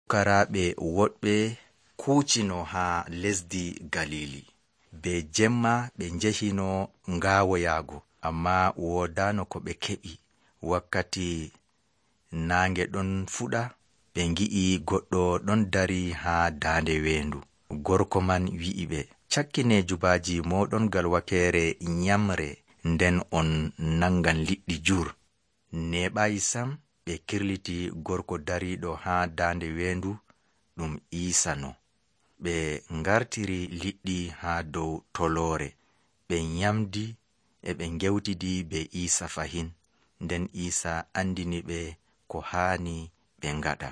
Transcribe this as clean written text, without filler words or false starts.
Fukaraaɓe woɗɓe kuucino haa lesdi Galili. Be jemma ɓe njehino ngaawoyaago, ammaa woodaano ko ɓe keɓi. Wakkati naange ɗon fuɗa, ɓe ngi'i goɗɗo ɗon dari haa daande weendu. Gorko man wi'i ɓe, cakkine jubaaji mooɗon ngal wakeere nyamre, nden on nangan liɗɗi jur. Neeɓaayi sam ɓe kirliti gorko dariiɗo haa daande weendu ɗum Iisa. Ɓe ngartiri liɗɗi haa dow toloore. Ɓe nyamdi e ɓe ngewtidi be Iisa fahin. Nden Iisa andini ɓe ko haani ɓe ngaɗa.